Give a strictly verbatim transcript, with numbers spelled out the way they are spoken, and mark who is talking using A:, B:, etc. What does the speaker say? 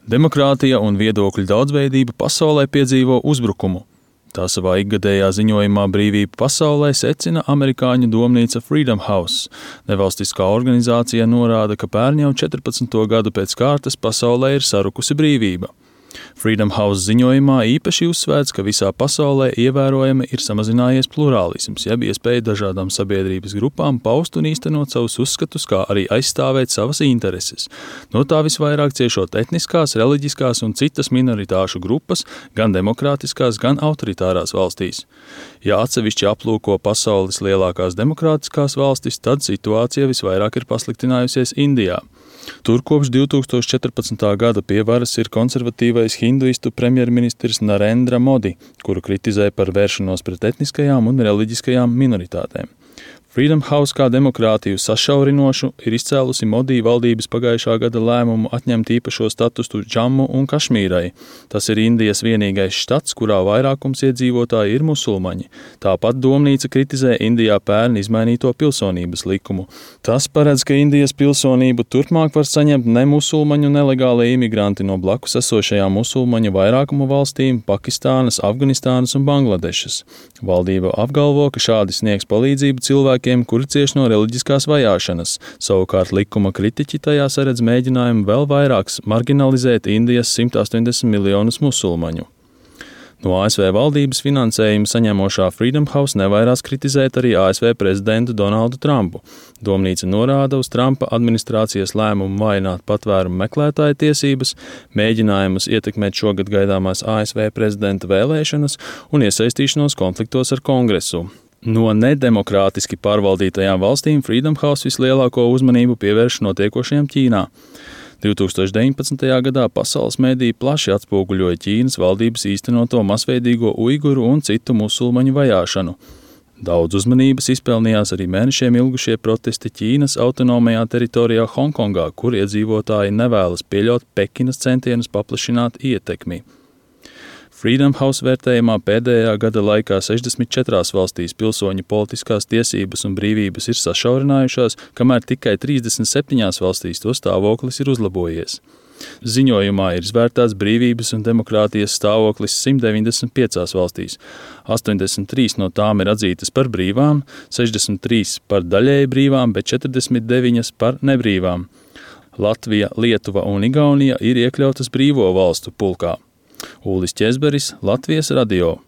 A: Demokrātija un viedokļu daudzveidība pasaulē piedzīvo uzbrukumu. Tā savā ikgadējā ziņojumā Brīvība pasaulē secina amerikāņu domnīca Freedom House. Nevalstiskā organizācija norāda, ka pērn jau četrpadsmito gadu pēc kārtas pasaulē ir sarukusi brīvība. Freedom House ziņojumā īpaši uzsvērts, ka visā pasaulē ievērojami ir samazinājies plurālisms, jeb iespēja dažādām sabiedrības grupām paust un īstenot savus uzskatus, kā arī aizstāvēt savas intereses. No tā visvairāk ciešot etniskās, reliģiskās un citas minoritāšu grupas, gan demokrātiskās, gan autoritārās valstīs. Ja atsevišķi aplūko pasaules lielākās demokrātiskās valstis, tad situācija visvairāk ir pasliktinājusies Indijā. Tur kopš divtūkstoš četrpadsmitā gada pie varas ir konservatīvais hinduistu premjerministrs Narendra Modi, kuru kritizē par vēršanos pret etniskajām un reliģiskajām minoritātēm. Freedom House kā demokrātiju sašaurinošu ir izcēlusi Modi valdības pagājušā gada lēmumu atņemt īpašo statusu Džammu un Kašmīrai. Tas ir Indijas vienīgais štats, kurā vairākums iedzīvotāji ir musulmaņi. Tāpat domnīca kritizē Indijā pērn izmainīto pilsonības likumu. Tas paredz, ka Indijas pilsonību turpmāk var saņemt nemusulmaņu nelegālie imigranti no blakus esošajām musulmaņu vairākumu valstīm Pakistānas, Afganistānas un Bangladešas. Valdība apgalvo, ka šādi sniegs palīdzību cilvēkiem, kuri cieš no reliģiskās vajāšanas. Savukārt likuma kritiķi tajā saredz mēģinājumu vēl vairāk marginalizēt Indijas simt astoņdesmit miljonus musulmaņu. No A S V valdības finansējumu saņemošā Freedom House nevairās kritizēt arī A S V prezidentu Donaldu Trumpu. Domnīca norāda uz Trumpa administrācijas lēmumu vājināt patvērumu meklētāju tiesības, mēģinājumus ietekmēt šogad gaidāmās A S V prezidenta vēlēšanas un iesaistīšanos konfliktos ar Kongresu. No nedemokrātiski pārvaldītajām valstīm Freedom House vislielāko uzmanību pievērš notiekošajam Ķīnā. divtūkstoš deviņpadsmitajā gadā pasaules mediji plaši atspoguļoja Ķīnas valdības īstenoto masveidīgo uiguru un citu musulmaņu vajāšanu. Daudz uzmanības izpelnījās arī mēnešiem ilgušie protesti Ķīnas autonomajā teritorijā Hongkongā, kur iedzīvotāji nevēlas pieļaut Pekinas centienus paplašināt ietekmi. Freedom House vērtējumā pēdējā gada laikā sešdesmit četrās valstīs pilsoņu politiskās tiesības un brīvības ir sašaurinājušās, kamēr tikai trīsdesmit septiņās valstīs to stāvoklis ir uzlabojies. Ziņojumā ir izvērtāts brīvības un demokrātijas stāvoklis simt deviņdesmit piecās valstīs. astoņdesmit trīs no tām ir atzītas par brīvām, sešdesmit trīs par daļēji brīvām, bet četrdesmit deviņas par nebrīvām. Latvija, Lietuva un Igaunija ir iekļautas brīvo valstu pulkā. Ulris Ķezberis, Latvijas radio.